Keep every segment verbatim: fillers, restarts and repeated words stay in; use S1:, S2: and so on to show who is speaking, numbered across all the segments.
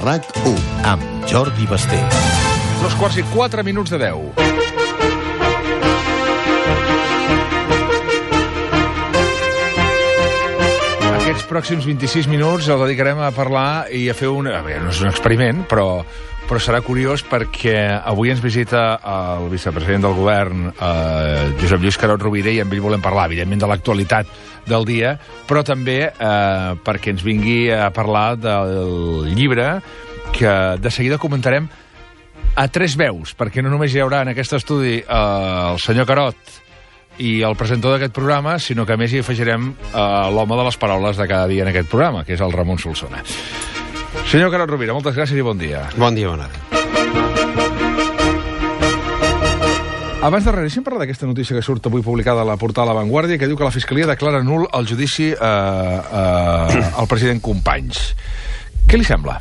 S1: RAC u, amb Jordi Basté.
S2: Dos quarts i quatre minuts de deu. Aquests pròxims vint-i-sis minuts els dedicarem a parlar i a fer un... A veure, no és un experiment, però, però serà curiós perquè avui ens visita el vicepresident del govern, eh, Josep Lluís Carod Rovira, i amb ell volem parlar, evidentment, de l'actualitat del dia, però també eh, perquè ens vingui a parlar del llibre que de seguida comentarem a tres veus, perquè no només hi haurà en aquest estudi eh, el senyor Carod i el presentador d'aquest programa, sinó que a més hi afegirem eh, l'home de les paraules de cada dia en aquest programa, que és el Ramon Solsona. Senyor Carod Rovira, moltes gràcies i bon dia.
S3: Bon dia, bona hora.
S2: Abans de res, deixem parlar d'aquesta notícia que surt avui publicada a la portal La Vanguardia, que diu que la Fiscalia declara nul el judici eh, eh, al president Companys. Què li sembla?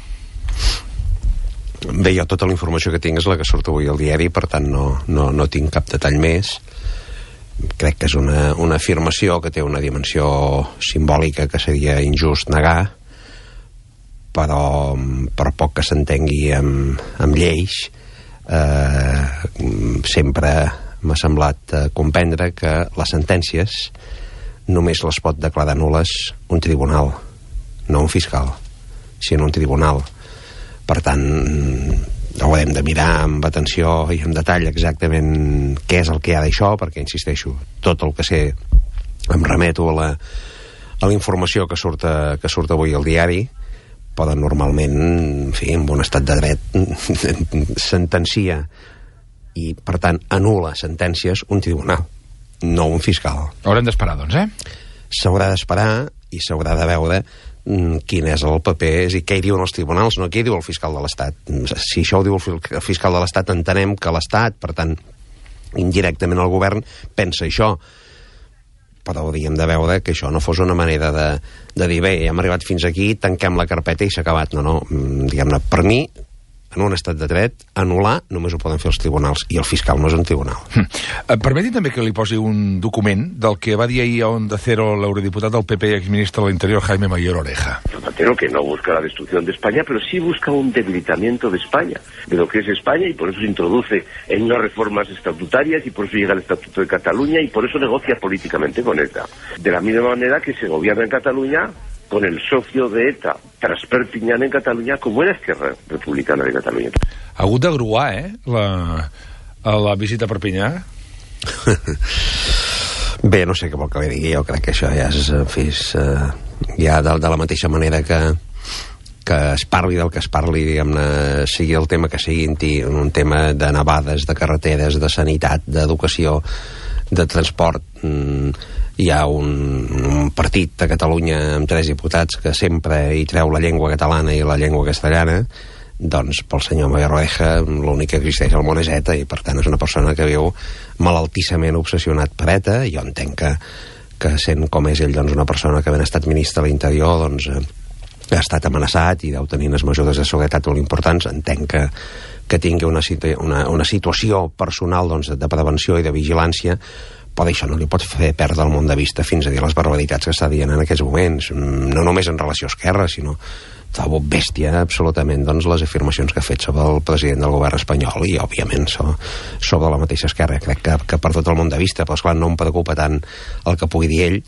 S3: Bé, jo tota la informació que tinc és la que surt avui al diari, per tant no, no, no tinc cap detall més. Crec que és una, una afirmació que té una dimensió simbòlica que seria injust negar, però per poc que s'entengui amb, amb lleis, eh, sempre m'ha semblat eh, comprendre que les sentències només les pot declarar nul·les un tribunal, no un fiscal, sinó un tribunal. Per tant, haurem de mirar amb atenció i amb detall exactament què és el que hi ha d'això, perquè, insisteixo, tot el que sé em remeto a la, a la informació que surt, a, que surt avui al diari, però normalment, en fi, en un estat de dret sentencia i, per tant, anul·la sentències un tribunal, no un fiscal.
S2: Haurem d'esperar, doncs, eh?
S3: S'haurà d'esperar i s'haurà de veure quin és el paper i què hi diuen els tribunals, no què hi diu el fiscal de l'Estat. Si això ho diu el fiscal de l'Estat, entenem que l'Estat, per tant, indirectament el govern, pensa això. Però hauríem de veure que això no fos una manera de, de dir, bé, hem arribat fins aquí, tanquem la carpeta i s'ha acabat. No, no, diguem-ne, per mi, en un estat de dret, anul·lar només ho poden fer els tribunals, i el fiscal no és un tribunal.
S2: Hm. Permeti també que li posi un document del que va dir ahir a Onda Cero l'eurodiputat del P P i exministre de l'Interior, Jaime Mayor Oreja.
S4: Zapatero, que no busca la destrucción de España, pero sí busca un debilitamiento de España, de lo que es España, y por eso se introduce en unas reformas estatutarias, y por eso llega el Estatuto de Cataluña, y por eso negocia políticamente con ETA. De la misma manera que se gobierna en Cataluña con el socio de ETA, tras Perpiñán en Catalunya, com era Esquerra Republicana de Catalunya.
S2: Ha hagut de gruar, eh, la, la visita a Perpinyà?
S3: Bé, no sé què vol que li digui, jo crec que això ja és, en fi, és, uh, ja de, de la mateixa manera que, que es parli del que es parli, diguem-ne, sigui el tema que sigui, un tema de nevades, de carreteres, de sanitat, d'educació, de transport. Mm, hi ha un, un partit a Catalunya amb tres diputats que sempre hi treu la llengua catalana i la llengua castellana. Doncs pel senyor Mayor Oreja l'únic que existeix al món és ETA, i per tant és una persona que viu malaltissament obsessionat per ETA. Jo entenc que, que sent com és ell, doncs, una persona que ben estat ministre de l'Interior, doncs, eh, ha estat amenaçat i deu tenir unes mesures de seguretat molt importants. Entenc que, que tingui una, situ una, una situació personal, doncs, de prevenció i de vigilància, però això no li pot fer perdre el món de vista fins a dir les barbaritats que està dient en aquests moments, no només en relació a Esquerra, sinó trobo bèstia absolutament, doncs, les afirmacions que ha fet sobre el president del govern espanyol i, òbviament, so, sobre la mateixa Esquerra. Crec que, que ha perdut el món de vista, però, esclar, no em preocupa tant el que pugui dir ell,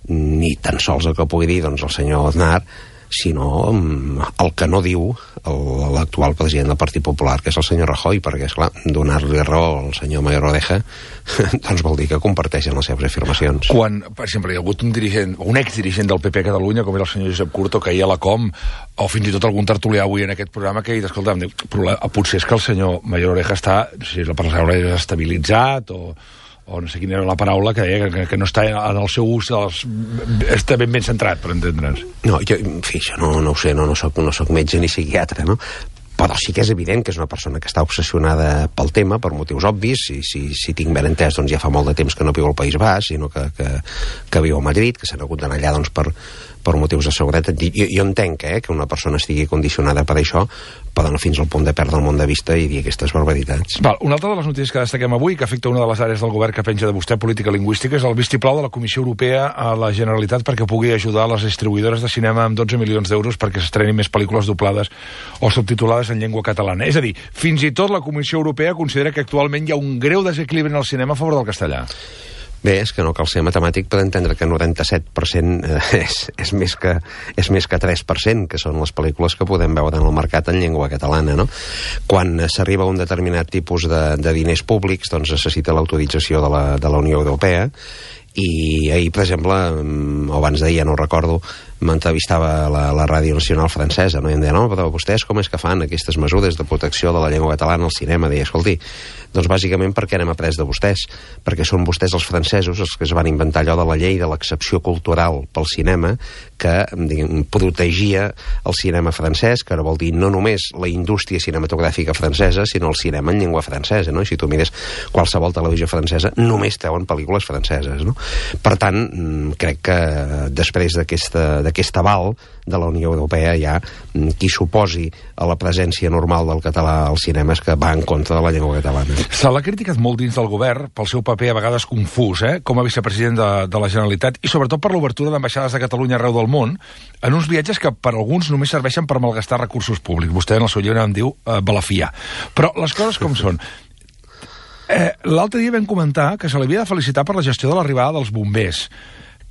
S3: ni tan sols el que pugui dir, doncs, el senyor Aznar, sinó el que no diu l'actual president del Partit Popular, que és el senyor Rajoy, perquè, esclar, donar-li raó al senyor Mayor Oreja doncs vol dir que comparteixen les seves afirmacions.
S2: Quan, per exemple, hi ha hagut un dirigent, un exdirigent del P P a Catalunya, com era el senyor Josep Curto, que ahir a la Com, o fins i tot algun tertulià avui en aquest programa, que, escolta'm, potser és que el senyor Mayor Oreja està, no sé si la paraula és estabilitzat, o o no sé quina era la paraula que deia, que, que no està en el seu ús, els, està ben ben centrat, per entendre'ns.
S3: No, jo, en fi, això no, no ho sé, no, no, soc, no soc metge ni psiquiatre, no? Però sí que és evident que és una persona que està obsessionada pel tema, per motius obvis, i si, si tinc ben entès, doncs ja fa molt de temps que no viu al País Basc, sinó que, que, que viu a Madrid, que s'ha hagut d'anar allà, doncs, per, per motius de seguretat. Jo, jo entenc eh, que una persona estigui condicionada per això, però no fins al punt de perdre el món de vista i dir aquestes barbaritats.
S2: Val, una altra de les notícies que destaquem avui, que afecta una de les àrees del govern que penja de vostè, política lingüística, és el vistiplau de la Comissió Europea a la Generalitat perquè pugui ajudar les distribuïdores de cinema amb dotze milions d'euros perquè s'estrenin més pel·lícules doblades o subtitulades en llengua catalana. És a dir, fins i tot la Comissió Europea considera que actualment hi ha un greu desequilibri en el cinema a favor del castellà.
S3: Bé, és que no cal ser matemàtic per entendre que noranta-set per cent eh, és, és, més que, és més que tres per cent, que són les pel·lícules que podem veure en el mercat en llengua catalana, no? Quan s'arriba a un determinat tipus de, de diners públics, doncs necessita l'autorització de la, de la Unió Europea, i ahir, per exemple, o abans d'ahir, ja no ho recordo, m'entrevistava la, la Ràdio Nacional francesa, no? I em deia, no, però vostès com és que fan aquestes mesures de protecció de la llengua catalana al cinema? Deia, escolti, doncs bàsicament perquè n'hem après de vostès, perquè són vostès els francesos els que es van inventar allò de la llei de l'excepció cultural pel cinema, que diguem, protegia el cinema francès, que ara vol dir no només la indústria cinematogràfica francesa, sinó el cinema en llengua francesa, no? I si tu mires qualsevol televisió francesa, només treuen pel·lícules franceses, no? Per tant, crec que després d'aquesta d'aquest aval de la Unió Europea hi ha qui s'oposi a la presència normal del català als cinemes que va en contra de la llengua catalana.
S2: Se l'ha criticat molt dins del govern pel seu paper a vegades confús, eh? Com a vicepresident de, de la Generalitat, i sobretot per l'obertura d'ambaixades de Catalunya arreu del món, en uns viatges que per alguns només serveixen per malgastar recursos públics. Vostè en el seu llibre en diu eh, balafiar. Però les coses com són. Eh, L'altre dia vam comentar que se l'havia de felicitar per la gestió de l'arribada dels bombers.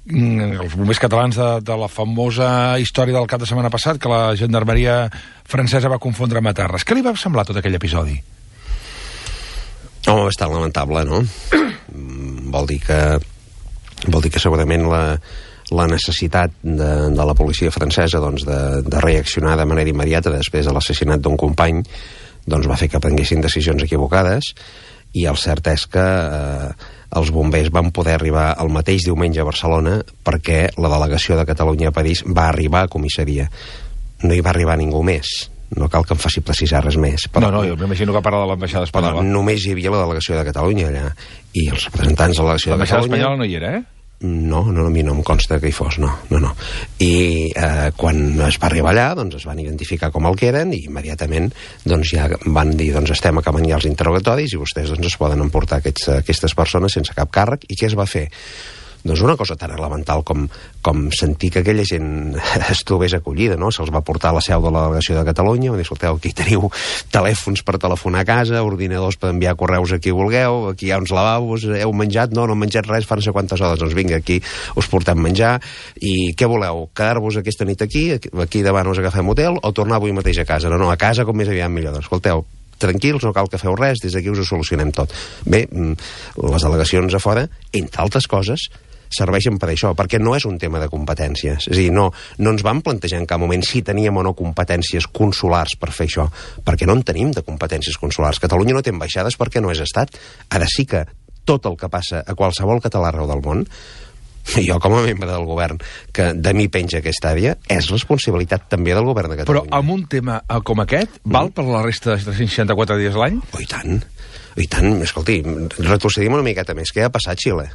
S2: Els bombers catalans de, de la famosa història del cap de setmana passat, que la gendarmeria francesa va confondre amb Matarres. Què li va semblar tot aquell episodi?
S3: Home, bastant lamentable, no? Vol dir que, vol dir que segurament la, la necessitat de, de la policia francesa doncs, de, de reaccionar de manera immediata després de l'assassinat d'un company doncs, va fer que prenguessin decisions equivocades, i el cert és que eh, els bombers van poder arribar el mateix diumenge a Barcelona perquè la delegació de Catalunya a París va arribar a comissaria. No hi va arribar ningú més. No cal que em faci precisar res més. Però,
S2: no, no, jo m'imagino que a part de l'ambaixada espanyola.
S3: Només hi havia la delegació de Catalunya allà, i els representants de la delegació de Catalunya...
S2: L'ambaixada espanyola no hi era, eh?
S3: No, no, a mi no em consta que hi fos, no, no, no. I eh, quan es va arribar allà, doncs es van identificar com el que eren i immediatament doncs ja van dir, doncs estem acabant ja els interrogatoris i vostès doncs es poden emportar aquests, aquestes persones sense cap càrrec. I què es va fer? Doncs una cosa tan elemental com, com sentir que aquella gent es trobés acollida, no? Se'ls va portar a la seu de la delegació de Catalunya, van dir, escolteu, aquí teniu telèfons per telefonar a casa, ordinadors per enviar correus a qui vulgueu, aquí hi ha uns lavabos, heu menjat? No, no hem menjat res, fa no sé quantes hores, doncs vinga, aquí us portem menjar, i què voleu? Quedar-vos aquesta nit aquí, aquí davant us agafem hotel, o tornar avui mateix a casa? No, no, a casa com més aviat millor, doncs escolteu, tranquils, no cal que feu res, des d'aquí us ho solucionem tot. Bé, les delegacions a fora, entre altres coses, serveixen per això, perquè no és un tema de competències. És a dir, no, no ens vam plantejar en cap moment si teníem o no competències consulars per fer això, perquè no en tenim de competències consulars. Catalunya no té ambaixades perquè no és estat. Ara sí que tot el que passa a qualsevol català arreu del món, jo com a membre del govern, que de mi penja aquesta àrea, és responsabilitat també del govern de Catalunya.
S2: Però amb un tema com aquest, val mm. per la resta de tres-cents seixanta-quatre dies l'any?
S3: Oh, i tant, i tant. Escolti, retrocedim una miqueta més. Què ha passat a Xile?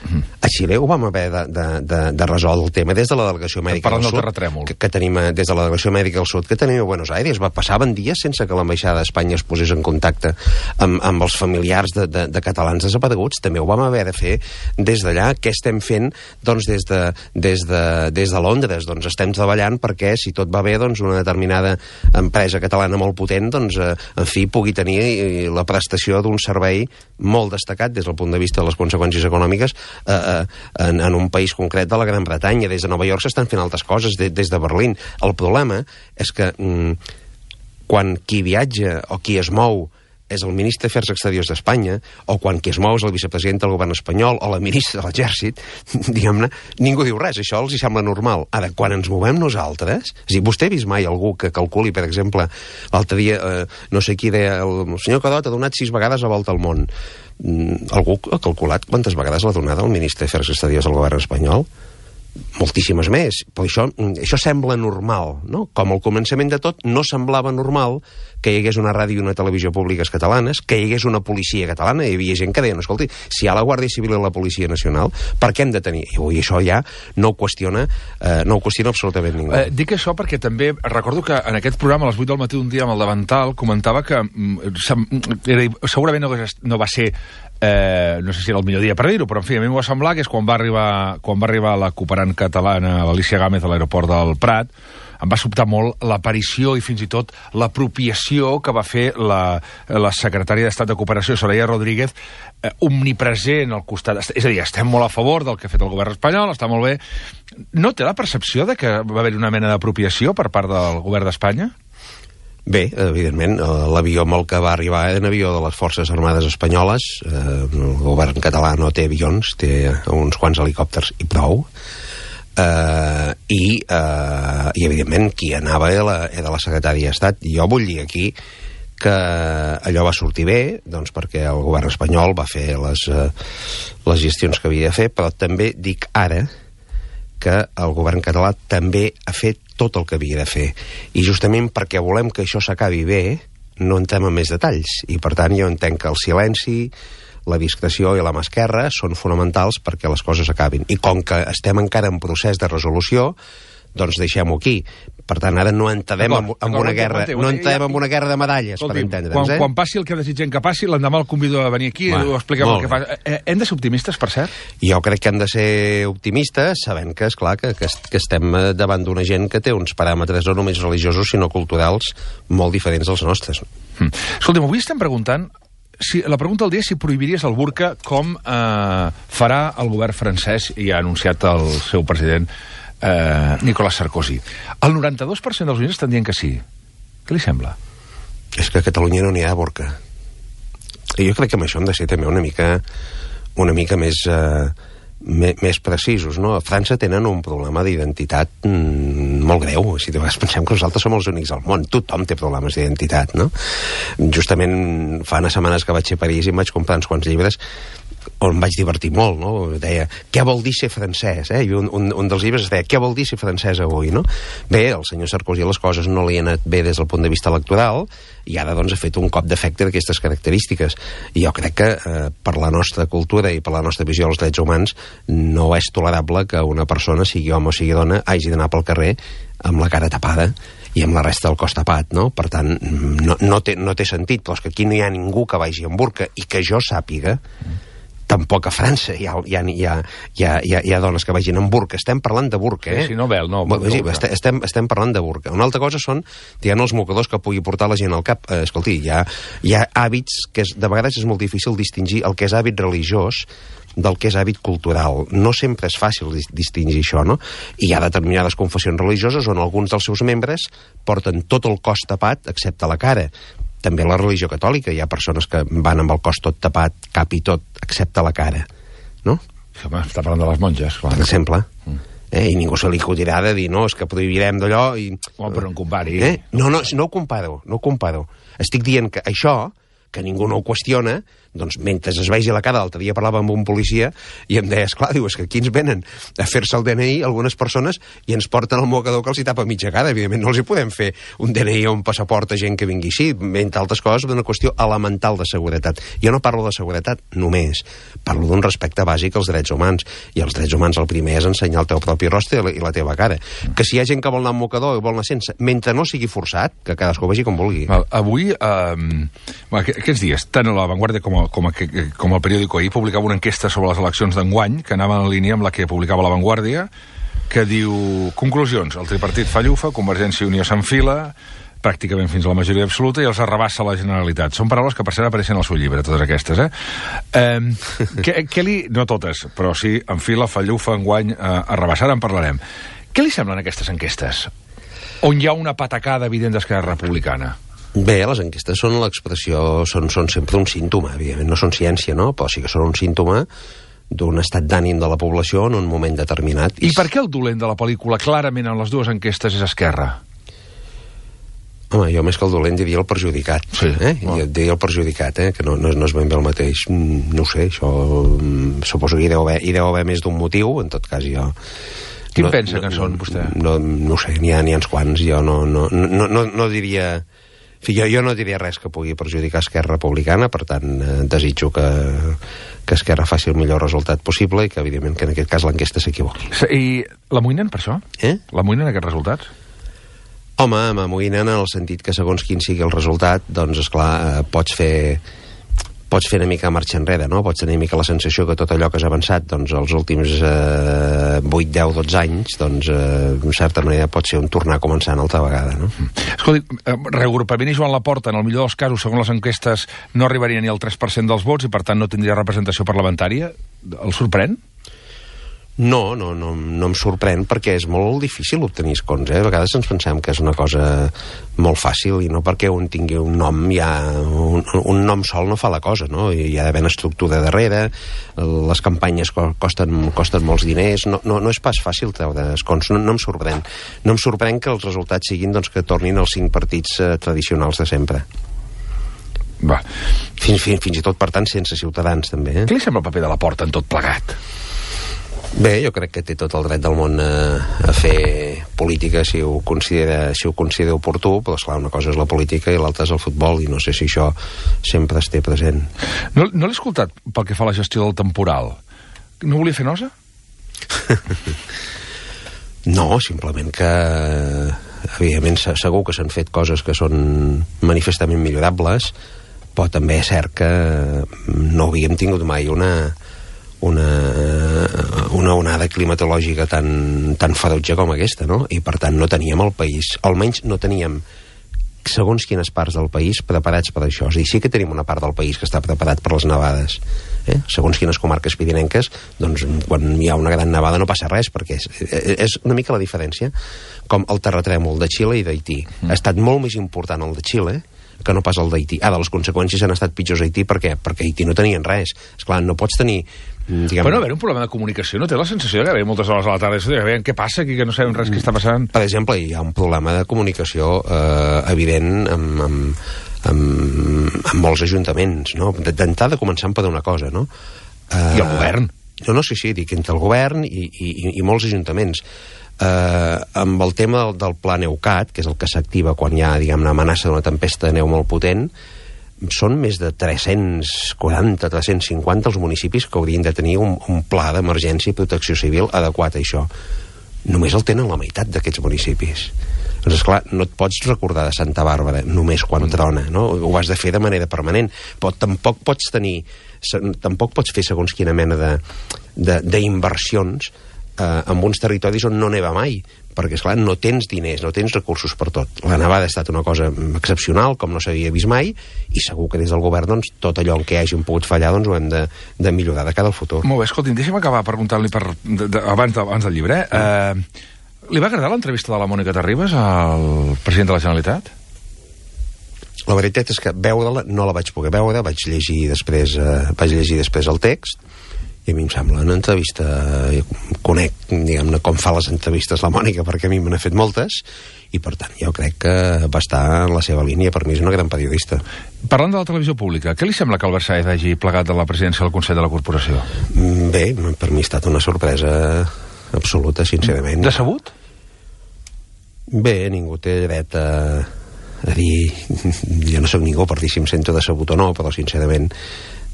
S3: A Xile ho vam haver de, de, de, de resoldre el tema des de la delegació mèdica del sud, que, que tenim, des de la delegació mèdica del sud que tenim a Buenos Aires. Va, passaven dies sense que l'ambaixada d'Espanya es posés en contacte amb, amb els familiars de, de, de catalans desapareguts. També ho vam haver de fer des d'allà. Què estem fent doncs, des, de, des, de, des de Londres? Doncs estem treballant perquè, si tot va bé, doncs, una determinada empresa catalana molt potent, doncs, eh, en fi, pugui tenir la prestació d'un servei molt destacat des del punt de vista de les conseqüències econòmiques Uh, en, en un país concret de la Gran Bretanya. Des de Nova York s'estan fent altres coses, de, des de Berlín. El problema és que mm, quan qui viatja o qui es mou és el ministre d'Afers Exteriors d'Espanya, o quan qui es mou és el vicepresident del govern espanyol o la ministra de l'Exèrcit, diguem-ne, ningú diu res, això els hi sembla normal. Ara, quan ens movem nosaltres, és a dir, vostè ha vist mai algú que calculi, per exemple, l'altre dia, eh, no sé qui deia, el senyor Cadot ha donat sis vegades la volta al món. Mm, algú ha calculat quantes vegades l'ha donada el ministre d'Afers Exteriors del govern espanyol? moltíssimes més, però això, això sembla normal, no? Com al començament de tot no semblava normal que hi hagués una ràdio i una televisió públiques catalanes, que hi hagués una policia catalana, hi havia gent que deia, escolti, si hi ha la Guàrdia Civil i la Policia Nacional, per què hem de tenir? I avui això ja no ho qüestiona, eh, no ho qüestiona absolutament ningú.
S2: Eh, dic això perquè també recordo que en aquest programa a les vuit del matí un dia amb el Davantal comentava que mm, era, segurament no, no va ser Eh, no sé si era el millor dia per dir-ho, però en fi, a mi m'ho va semblar que és quan va arribar, quan va arribar la cooperant catalana, l'Alicia Gámez, a l'aeroport del Prat, em va sobtar molt l'aparició i fins i tot l'apropiació que va fer la, la secretària d'Estat de Cooperació, Soraya Rodríguez, eh, omnipresent al costat. És a dir, estem molt a favor del que ha fet el govern espanyol, està molt bé. No té la percepció de que va haver una mena d'apropiació per part del govern d'Espanya?
S3: Bé, evidentment, l'avió amb el que va arribar era un avió de les Forces Armades Espanyoles. El govern català no té avions, té uns quants helicòpters i prou. Uh, i, uh, i evidentment qui anava era la, era la secretària d'Estat. Jo vull dir aquí que allò va sortir bé, doncs perquè el govern espanyol va fer les, uh, les gestions que havia de fer, però també dic ara que el govern català també ha fet tot el que havia de fer. I justament perquè volem que això s'acabi bé, no entrem en més detalls. I per tant jo entenc que el silenci, la discreció i la mà esquerra són fonamentals perquè les coses acabin. I com que estem encara en procés de resolució, doncs deixem-ho aquí. Per tant, ara no entrem en, en una guerra, no entrem en una guerra de medalles, per entendre'ns.
S2: Quan,
S3: eh?
S2: quan passi el que desitgem que passi, l'endemà el convido a venir aquí i ho expliquem el que fa. Eh, hem de ser optimistes, per cert?
S3: Jo crec que hem de ser optimistes, sabent que, esclar, que, que, que estem davant d'una gent que té uns paràmetres no només religiosos, sinó culturals molt diferents dels nostres.
S2: Mm. Escolta'm, avui estem preguntant si, la pregunta del dia és si prohibiries el burca com eh, farà el govern francès, i ha anunciat el seu president eh, Nicolas Sarkozy. El noranta-dos per cent dels oients estan dient que sí. Què li sembla?
S3: És que a Catalunya no n'hi ha burca. I jo crec que amb això hem de ser també una mica una mica més eh, me, més precisos, no? A França tenen un problema d'identitat mm, molt greu. Si de vegades pensem que nosaltres som els únics al món. Tothom té problemes d'identitat, no? Justament fa unes setmanes que vaig a París i em vaig comprar uns quants llibres on vaig divertir molt, no? Deia, què vol dir ser francès, eh? I un, un, un dels llibres es deia, què vol dir ser francès avui, no? Bé, el senyor Sarkozy les coses no li han anat bé des del punt de vista electoral i ara, doncs, ha fet un cop d'efecte d'aquestes característiques. I jo crec que eh, per la nostra cultura i per la nostra visió dels drets humans no és tolerable que una persona, sigui home o sigui dona, hagi d'anar pel carrer amb la cara tapada i amb la resta del cos tapat, no? Per tant, no, no, té, no té sentit, però és que aquí no hi ha ningú que vagi amb burca i que jo sàpiga, tampoc a França hi ha, hi ha, hi ha, hi ha, hi ha, hi ha dones que vagin amb burca. Estem parlant de burca, eh?
S2: Sí, no vel, no.
S3: Bueno, sí, estem, estem parlant de burca. Una altra cosa són, diguem, els mocadors que pugui portar la gent al cap. Eh, escolti, hi ha, hi ha hàbits que és, de vegades és molt difícil distingir el que és hàbit religiós del que és hàbit cultural. No sempre és fàcil distingir això, no? I hi ha determinades confessions religioses on alguns dels seus membres porten tot el cos tapat excepte la cara. També la religió catòlica, hi ha persones que van amb el cos tot tapat, cap i tot, excepte la cara, no?
S2: Sí, home, està parlant de les monges, clar.
S3: Per exemple. Mm. Eh? I ningú se li acudirà de dir, no, és que prohibirem d'allò i...
S2: Oh, però no compari.
S3: Eh? No, no, no ho comparo, no ho comparo. Estic dient que això, que ningú no ho qüestiona, doncs mentre es vegi la cara, l'altre dia parlava amb un policia i em deia, esclar, diu, és que aquí ens venen a fer-se el D N I algunes persones i ens porten el mocador que els hi tapa mitja cara. Evidentment no els hi podem fer un D N I o un passaport a gent que vingui així, entre altres coses d'una qüestió elemental de seguretat. Jo no parlo de seguretat només, parlo d'un respecte bàsic als drets humans, i els drets humans el primer és ensenyar el teu propi rostre i la teva cara. Que si hi ha gent que vol anar amb mocador i vol anar sense, mentre no sigui forçat, que cadascú vegi com vulgui.
S2: Val, avui, eh, aquests dies, tant a La Vanguardia com a com, a, com el periòdico ahir publicava una enquesta sobre les eleccions d'enguany que anava en línia amb la que publicava La Vanguardia, que diu, conclusions, el tripartit fa llufa, Convergència i Unió s'enfila pràcticament fins a la majoria absoluta i els arrabassa la Generalitat. Són paraules que per cert apareixen al seu llibre, totes aquestes, eh? eh què, què li... No totes, però sí, enfila, fa llufa, enguany, eh, arrabassa, ara en parlarem. Què li semblen aquestes enquestes? On hi ha una patacada evident d'Esquerra Republicana?
S3: Bé, les enquestes són l'expressió, són, són sempre un símptoma, evidentment, no són ciència, no? Però sí que són un símptoma d'un estat d'ànim de la població en un moment determinat.
S2: I per què el dolent de la pel·lícula, clarament en les dues enquestes, és Esquerra?
S3: Home, jo més que el dolent diria el perjudicat.
S2: Sí,
S3: eh? Jo diria el perjudicat, eh? Que no, no, no és ben bé el mateix. No ho sé, això... Suposo que hi deu haver, hi deu haver més d'un motiu, en tot cas jo...
S2: Quin
S3: no,
S2: pensa
S3: no,
S2: que són, vostè?
S3: No, no ho sé, n'hi ha, n'hi ha uns quants. Jo no, no, no, no, no diria... En fi, jo, jo no diria res que pugui perjudicar Esquerra Republicana, per tant, eh, desitjo que, que Esquerra faci el millor resultat possible i que, evidentment, que en aquest cas l'enquesta s'equivoqui.
S2: I l'amoïnen per això?
S3: Eh?
S2: L'amoïnen aquests resultats?
S3: Home, m'amoïnen en el sentit que segons quin sigui el resultat, doncs, esclar, eh, pots fer... pots fer una mica marxa enrere, no? Pots tenir una mica la sensació que tot allò que has avançat doncs, els últims eh, vuit, deu, dotze anys, doncs, eh, en certa manera pot ser un tornar a començar una altra vegada, no?
S2: Escolti, reagrupament i Joan Laporta, en el millor dels casos, segons les enquestes, no arribaria ni al tres per cent dels vots i, per tant, no tindria representació parlamentària. El sorprèn?
S3: No, no, no, no em sorprèn perquè és molt difícil obtenir escons, eh? A vegades ens pensem que és una cosa molt fàcil i no perquè un tingui un nom ja... Un, un nom sol no fa la cosa, no? Hi ha d'haver una estructura darrere, les campanyes costen, costen molts diners, no, no, no és pas fàcil treure escons, no, no em sorprèn. No em sorprèn que els resultats siguin doncs, que tornin els cinc partits eh, tradicionals de sempre.
S2: Va.
S3: Fins, fins, fins i tot, per tant, sense Ciutadans, també. Eh?
S2: Què li sembla el paper de Laporta en tot plegat?
S3: Bé, jo crec que té tot el dret del món a, a fer política si ho considera, si ho considera oportú, però esclar, una cosa és la política i l'altra és el futbol, i no sé si això sempre es té present.
S2: No, no l'he escoltat pel que fa a la gestió del temporal. No volia fer nosa?
S3: No, simplement que evidentment segur que s'han fet coses que són manifestament millorables, però també és cert que no havíem tingut mai una una, una onada climatològica tan, tan ferotge com aquesta, no? I per tant no teníem el país, almenys no teníem segons quines parts del país preparats per això. És a dir, sí que tenim una part del país que està preparat per les nevades, eh? Segons quines comarques pirinenques, doncs quan hi ha una gran nevada no passa res, perquè és, és una mica la diferència, com el terratrèmol de Xile i d'Haití. Mm. Ha estat molt més important el de Xile que no pas el d'Haití. Ara, les conseqüències han estat pitjors a Haití, per què? Perquè a Haití no tenien res. Esclar, no pots tenir... Diguem... Però
S2: no haver un problema de comunicació, no té la sensació de que hi ha moltes hores a la tarda, de veure què passa aquí, que no sabem res que està passant? Per
S3: exemple, hi ha un problema de comunicació eh, evident amb, amb, amb, amb molts ajuntaments, no? D'entrada començant per una cosa, no?
S2: Eh, I el govern?
S3: No, no, sí, sí, dic entre el govern i, i, i molts ajuntaments. Eh, amb el tema del, del pla Neucat, que és el que s'activa quan hi ha, diguem, una amenaça d'una tempesta de neu molt potent, són més de tres-cents quaranta, tres-cents cinquanta els municipis que haurien de tenir un, un pla d'emergència i protecció civil adequat a això. Només el tenen la meitat d'aquests municipis. Doncs, esclar, no et pots recordar de Santa Bàrbara només quan trona, no? Ho has de fer de manera permanent, però tampoc pots tenir, tampoc pots fer segons quina mena de, de, d'inversions eh, en uns territoris on no neva mai, perquè, esclar, no tens diners, no tens recursos per tot. La nevada ha estat una cosa excepcional, com no s'havia vist mai, i segur que des del govern, doncs, tot allò en què hàgim pogut fallar, doncs, ho hem de, de millorar de cara al futur.
S2: Molt bé, escolti'm, deixa'm acabar preguntant-li per, de, de, abans, de, abans del llibre. Eh? Eh, li va agradar l'entrevista de la Mònica Terribas al president de la Generalitat?
S3: La veritat és que veure-la no la vaig poder veure, vaig llegir després, eh, vaig llegir després el text, i a mi em sembla una entrevista, conec, diguem-ne, com fa les entrevistes la Mònica, perquè a mi me n'ha fet moltes, i per tant jo crec que va estar en la seva línia. Per mi és una gran periodista.
S2: Parlant de la televisió pública, què li sembla que Albert Sáez hagi plegat de la presidència del Consell de la Corporació?
S3: Bé, per mi ha estat una sorpresa absoluta, sincerament.
S2: Decebut?
S3: Bé, ningú té dret a, a dir... Jo no sóc ningú per dir si em sento decebut o no, però sincerament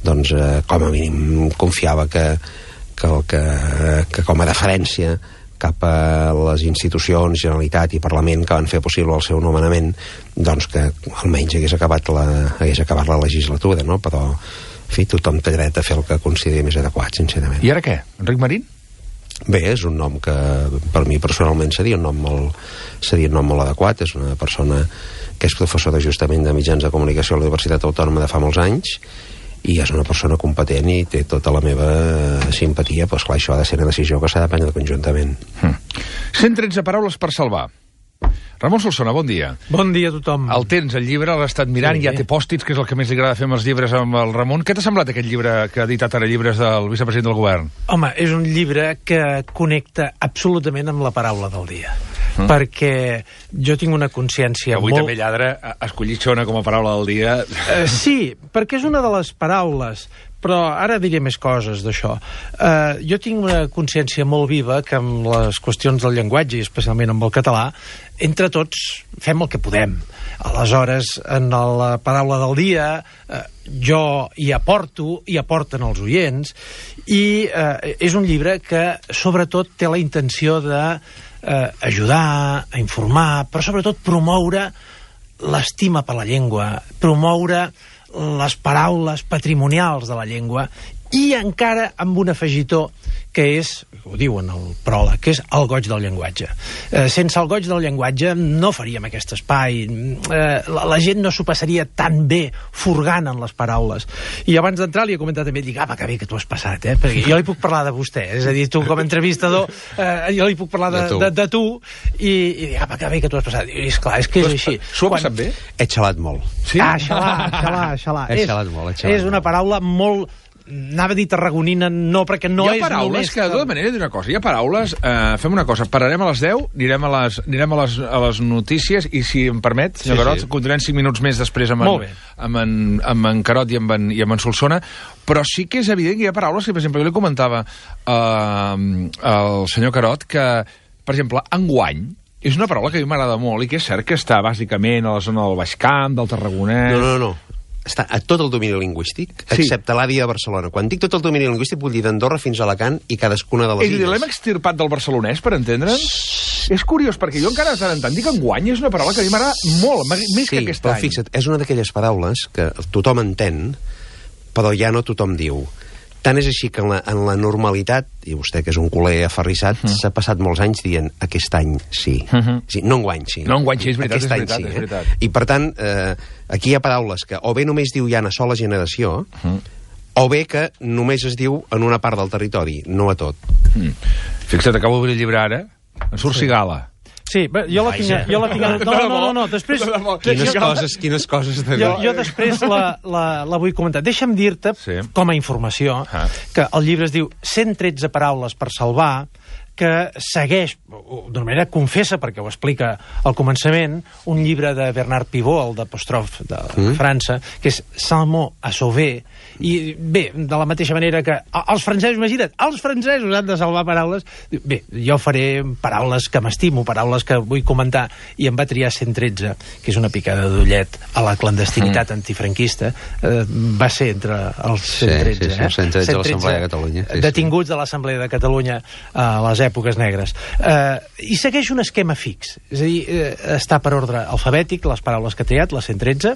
S3: doncs eh, com a mínim confiava que, que, que, que com a deferència cap a les institucions, Generalitat i Parlament que van fer possible el seu nomenament, doncs que almenys hagués acabat la, hagués acabat la legislatura, no? Però, en fi, tothom té dret a fer el que consideri més adequat, sincerament.
S2: I ara què? Enric Marín?
S3: Bé, és un nom que per mi personalment seria un nom molt, seria un nom molt adequat. És una persona que és professora justament de mitjans de comunicació a la Universitat Autònoma de fa molts anys, i és una persona competent i té tota la meva simpatia, però esclar, això ha de ser una decisió que s'ha de prendre conjuntament.
S2: Hmm. cent tretze paraules per salvar. Ramon Solsona, bon dia.
S5: Bon dia a tothom.
S2: El tens, el llibre, l'has estat mirant, sí, ja té pòstits, que és el que més li agrada fer amb els llibres amb el Ramon. Què t'ha semblat aquest llibre que ha editat ara llibres del vicepresident del govern?
S5: Home, és un llibre que connecta absolutament amb la paraula del dia. Mm. Perquè jo tinc una consciència
S2: avui
S5: molt...
S2: també lladre ha escollit xona com a paraula del dia.
S5: Uh, sí, perquè és una de les paraules però ara diré més coses d'això. Uh, jo tinc una consciència molt viva que amb les qüestions del llenguatge, i especialment amb el català, entre tots fem el que podem. Aleshores, en la paraula del dia, uh, jo hi aporto, hi aporten els oients, i uh, és un llibre que, sobretot, té la intenció de uh, ajudar, a informar, però sobretot promoure l'estima per la llengua, promoure les paraules patrimonials de la llengua, i encara amb un afegitó que és, ho diu en el pròleg, que és el goig del llenguatge. Eh, sense el goig del llenguatge no faríem aquest espai. Eh, la, la gent no s'ho passaria tan bé furgant en les paraules. I abans d'entrar li he comentat també, dic, apa, que bé que t'ho has passat, eh? Perquè jo li puc parlar de vostè, és a dir, tu com a entrevistador, eh, jo li puc parlar de, de, tu. de, de tu, i, i dic, apa, que bé que t'ho has passat. I és clar, és que és així.
S2: S'ho ha passat bé?
S3: He xalat molt.
S2: Sí?
S5: Ah, xalar, xalar, xalar.
S3: He
S5: és,
S3: xalat molt, he xalat
S5: és una paraula molt... Anava a dir tarragonina, no, perquè no és
S2: hi ha paraules
S5: només...
S2: que, de tota manera, d'una cosa, hi ha paraules... Eh, fem una cosa, pararem a les deu, anirem a les, anirem a les, a les notícies, i si em permet, senyor
S3: Sí,
S2: Carot,
S3: sí.
S2: continuem cinc minuts més després amb en, amb en, amb en Carot i amb en, i amb en Solsona, però sí que és evident que hi ha paraules que, per exemple, jo li comentava eh, al senyor Carot que, per exemple, enguany, és una paraula que a mi m'agrada molt i que és cert que està bàsicament a la zona del Baix Camp, del Tarragonès...
S3: No, no, no. Està a tot el domini lingüístic,
S2: Sí.
S3: excepte l'àrea de Barcelona. Quan dic tot el domini lingüístic, vull dir d'Andorra fins a Alacant i cadascuna de les
S2: És a dir,
S3: illes.
S2: l'hem extirpat del barcelonès, per entendre'ns? És curiós, perquè jo encara de tant en tant dic enguany, és una paraula que a mi m'agrada molt, més
S3: Sí,
S2: que aquest
S3: però
S2: any.
S3: fixa't, és una d'aquelles paraules que tothom entén, però ja no tothom diu. Tant és així que en la, en la normalitat, i vostè que és un culer aferrissat,
S2: Mm.
S3: s'ha passat molts anys dient aquest any sí.
S2: Mhm.
S3: sí no enguany sí.
S2: No enguany sí, és veritat,
S3: aquest
S2: és
S3: any
S2: veritat,
S3: sí,
S2: és
S3: eh?
S2: veritat.
S3: I per tant, eh, aquí hi ha paraules que o bé només diu ja una sola generació,
S2: Mhm.
S3: o bé que només es diu en una part del territori, no a tot.
S2: Mm. Fixa't, acabo d'obrir el llibre ara, en surt Cigala.
S5: Sí, bé, jo la tinc... Jo la tinc no, no, no, no, després...
S3: Quines
S5: jo,
S3: coses, quines coses de
S5: jo, jo després la, la, la vull comentar. Deixa'm dir-te,
S2: Sí.
S5: com a informació,
S2: Ah.
S5: que el llibre es diu cent tretze paraules per salvar, que segueix, d'una manera confessa, perquè ho explica al començament, un llibre de Bernard Pivot, el d'Apostrophe de mm. França, que és Salmo a Sauver, i bé, de la mateixa manera que els francesos, imagina't, els francesos han de salvar paraules. Bé, jo faré paraules que m'estimo, paraules que vull comentar, i em va triar cent tretze, que és una picada d'ullet a la clandestinitat mm. antifranquista, eh, va ser entre els cent tretze,
S3: sí, sí,
S5: eh?
S3: cent tretze de l'Assemblea de Catalunya. Sí, sí.
S5: Detinguts de l'Assemblea de Catalunya a les èpoques negres. Eh, I segueix un esquema fix, és a dir, eh, està per ordre alfabètic, les paraules que ha triat, les cent tretze,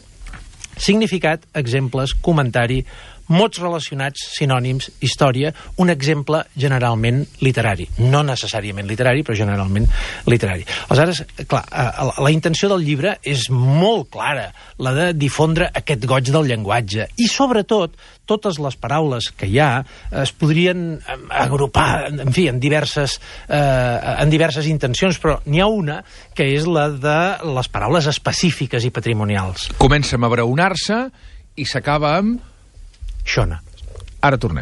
S5: significat, exemples, comentari, mots relacionats, sinònims, història, un exemple generalment literari. No necessàriament literari, però generalment literari. Aleshores, clar, la intenció del llibre és molt clara, la de difondre aquest goig del llenguatge. I, sobretot, totes les paraules que hi ha es podrien agrupar, en fi, en diverses, eh, en diverses intencions, però n'hi ha una que és la de les paraules específiques i patrimonials.
S2: Comença a abraonar-se i s'acaba amb...
S5: Xona.
S2: Ara tornem.